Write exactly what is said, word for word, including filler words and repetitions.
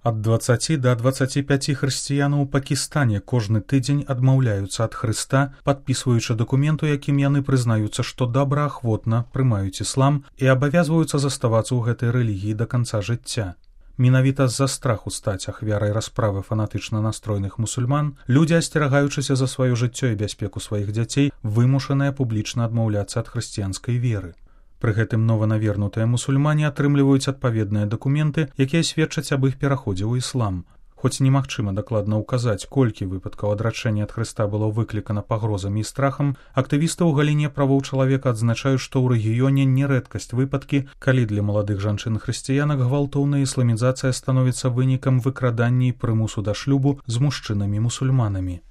Ад дваццаці да дваццаці пяці хрысціянаў у Пакістане кожны тыдзень адмаўляюцца ад Хрыста, падпісваючы дакумент, у якім яны прызнаюцца, што добраахвотна прымаюць іслам і абавязваюцца заставацца ў гэтай рэлігіі да канца жыцця. Менавіта з-за страху стаць ахвярай расправы фанатычна настроеных мусульман, людзі, асцерагаючыся за сваё жыццё і бяспеку сваіх дзяцей, вымушаныя публічна адмаўляцца ад хрысціянскай веры. Пры гэтым нованавернутыя мусульмане атрымліваюць адпаведныя дакументы, якія сведчаць аб іх пераходзе ў іслам. Хоць немагчыма дакладна ўказаць, колькі выпадкаў адрачэння ад Хрыста было выклікана пагрозамі і страхам, актывісты ў галіне правоў чалавека адзначаюць, што ў рэгіёне не рэдкасць выпадкі, калі для маладых жанчын-хрысціянак гвалтоўная ісламізацыя становіцца вынікам выкрадання і прымусу да шлюбу з мужчынамі-мусульманамі.